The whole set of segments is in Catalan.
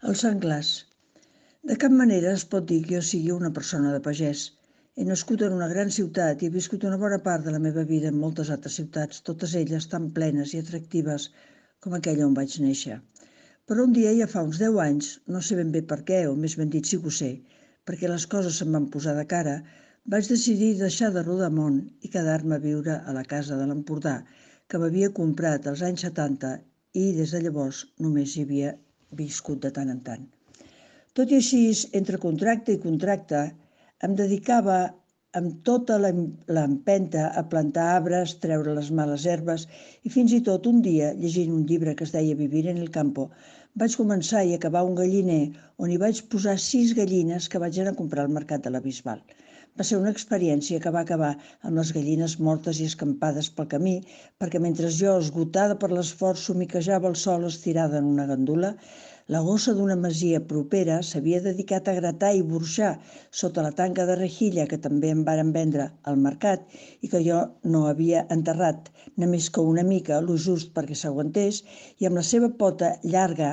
El senglars. De cap manera es pot dir que jo sigui una persona de pagès. He nascut en una gran ciutat i he viscut una bona part de la meva vida en moltes altres ciutats, totes elles tan plenes i atractives com aquella on vaig néixer. Però un dia, ja fa uns 10 anys, no sé ben bé per què, o més ben dit sí que ho sé, perquè les coses se'm van posar de cara, vaig decidir deixar de rodar món i quedar-me a viure a la casa de l'Empordà, que m'havia comprat als anys 70 i des de llavors només hi havia viscut de tant en tant. Tot i així, entre contracte i contracte, em dedicava amb tota l'empenta a plantar arbres, treure les males herbes i fins i tot un dia, llegint un llibre que es deia Vivir en el campo, vaig començar i acabar un galliner on hi vaig posar 6 gallines que vaig anar a comprar al mercat de la Bisbal. Va ser una experiència que va acabar amb les gallines mortes i escampades pel camí, perquè mentre jo, esgotada per l'esforç, somiquejava el sol estirada en una gandula, la gossa d'una masia propera s'havia dedicat a gratar i burxar sota la tanca de rejilla que també em varen vendre al mercat i que jo no havia enterrat, només que una mica, lo just perquè s'aguantés, i amb la seva pota llarga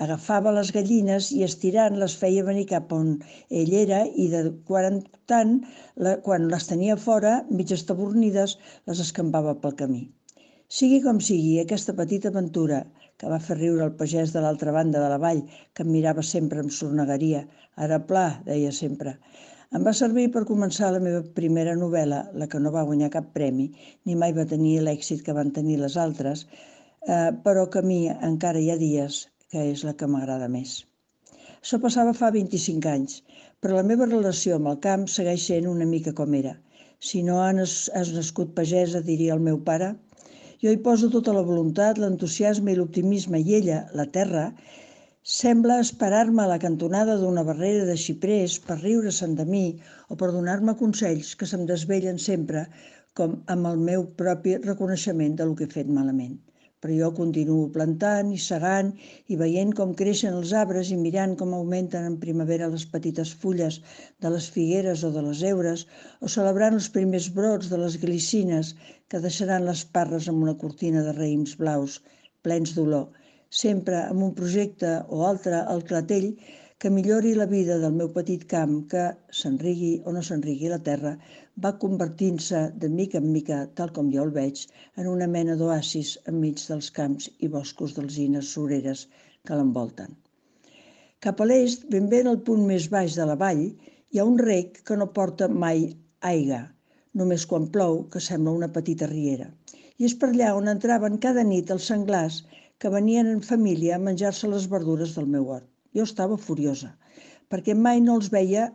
agafava les gallines i estirant les feia venir cap on ell era i de quan en tant, quan les tenia fora, mig estabornides, les escampava pel camí. Sigui com sigui, aquesta petita aventura, que va fer riure el pagès de l'altra banda de la vall, que em mirava sempre amb sornegueria, ara pla, deia sempre, em va servir per començar la meva primera novel·la, la que no va guanyar cap premi, ni mai va tenir l'èxit que van tenir les altres, però que a mi encara hi ha dies que és la que m'agrada més. Això passava fa 25 anys, però la meva relació amb el camp segueix sent una mica com era. Si no has nascut pagesa, diria el meu pare, jo hi poso tota la voluntat, l'entusiasme i l'optimisme i ella, la terra, sembla esperar-me a la cantonada d'una barrera de xiprers per riure-se'n de mi o per donar-me consells que se'm desvellen sempre com amb el meu propi reconeixement del que he fet malament. Però jo continuo plantant i segant i veient com creixen els arbres i mirant com augmenten en primavera les petites fulles de les figueres o de les heures o celebrant els primers brots de les glicines que deixaran les parres amb una cortina de raïms blaus plens d'olor, sempre amb un projecte o altre al clatell que millori la vida del meu petit camp que, s'enrigui o no s'enrigui la terra, va convertint-se de mica en mica, tal com jo el veig, en una mena d'oasis enmig dels camps i boscos d'alzines sureres que l'envolten. Cap a l'est, ben bé en el punt més baix de la vall, hi ha un rec que no porta mai aigua, només quan plou, que sembla una petita riera. I és per allà on entraven cada nit els senglars que venien en família a menjar-se les verdures del meu hort. Jo estava furiosa, perquè mai no els veia,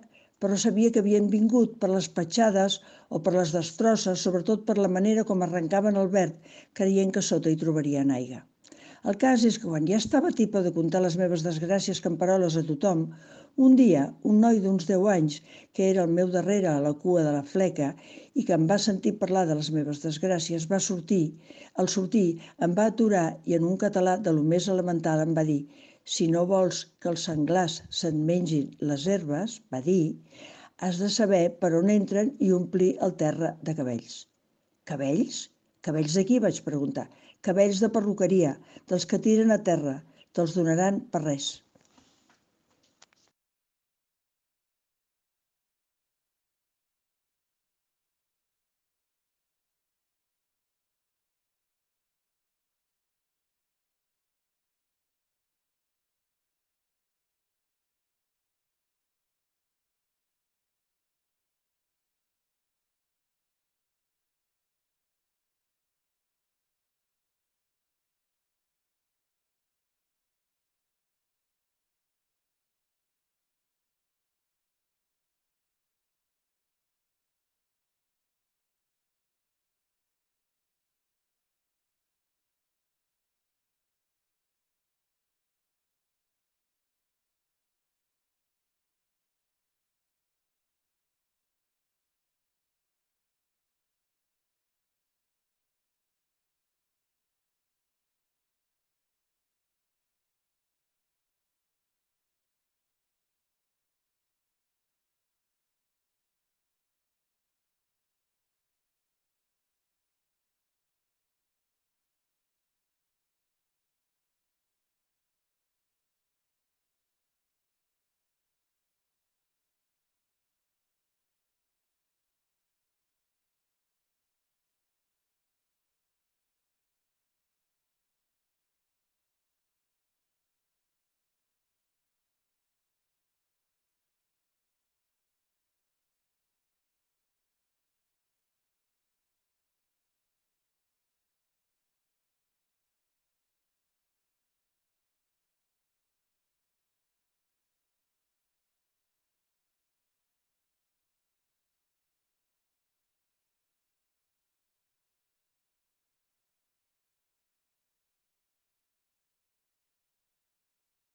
però sabia que havien vingut per les petjades o per les destrosses, sobretot per la manera com arrencaven el verd, creient que sota hi trobarien aigua. El cas és que quan ja estava tipa de contar les meves desgràcies camperoles a tothom, un dia, un noi d'uns 10 anys, que era al meu darrere a la cua de la fleca i que em va sentir parlar de les meves desgràcies, al sortir em va aturar i en un català de lo més elemental em va dir: si no vols que els senglars se'n mengin les herbes, va dir, has de saber per on entren i omplir el terra de cabells. Cabells? Cabells de qui? Vaig preguntar. Cabells de perruqueria, dels que tiren a terra. Te'ls donaran per res.